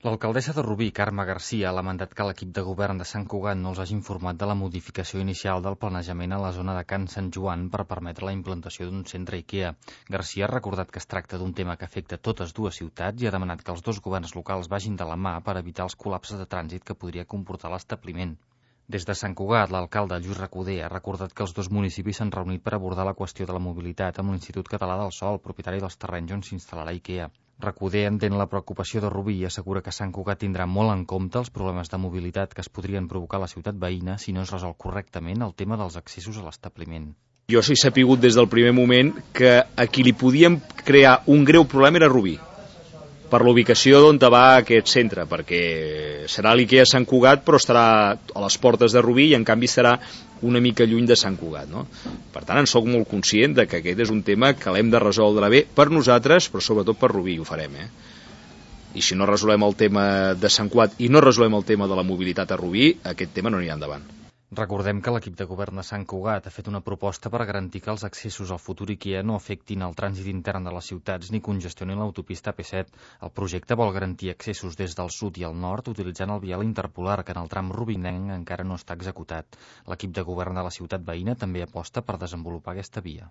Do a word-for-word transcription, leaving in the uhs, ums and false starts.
L'alcaldessa de Rubí, Carme Garcia, ha lamentat que l'equip de govern de Sant Cugat no els hagi informat de la modificació inicial del planejament a la zona de Can Sant Joan per permetre la implantació d'un centre IKEA. Garcia ha recordat que es tracta d'un tema que afecta totes dues ciutats i ha demanat que els dos governs locals vagin de la mà per evitar els col·lapses de trànsit que podria comportar l'establiment. Des de Sant Cugat, l'alcalde Lluís Recoder ha recordat que els dos municipis s'han reunit per abordar la qüestió de la mobilitat amb l'Institut Català del Sòl, propietari dels terrenys on s'instal·larà IKEA. Recoder entén la preocupació de Rubí i assegura que Sant Cugat tindrà molt en compte els problemes de mobilitat que es podrien provocar a la ciutat veïna si no es resol correctament el tema dels accessos a l'establiment. Jo sí he sapigut des del primer moment que a qui li podíem crear un greu problema era Rubí, per la ubicació d'on va aquest centre, perquè serà l'IKEA Sant Cugat però estarà a les portes de Rubí i en canvi estarà una mica lluny de Sant Cugat, no? Per tant, en soc molt conscient de que aquest és un tema que l'hem de resoldre bé per nosaltres, però sobretot per Rubí, ho farem, eh? I si no resolem el tema de Sant Cugat i no resolem el tema de la mobilitat a Rubí, aquest tema no anirà endavant. Recordem que l'equip de govern de Sant Cugat ha fet una proposta per garantir que els accessos al futur IKEA no afectin el trànsit intern de les ciutats ni congestionin l'autopista A P set. El projecte vol garantir accessos des del sud i el nord utilitzant el vial interpolar, que en el tram rubinenc encara no està executat. L'equip de govern de la ciutat veïna també aposta per desenvolupar aquesta via.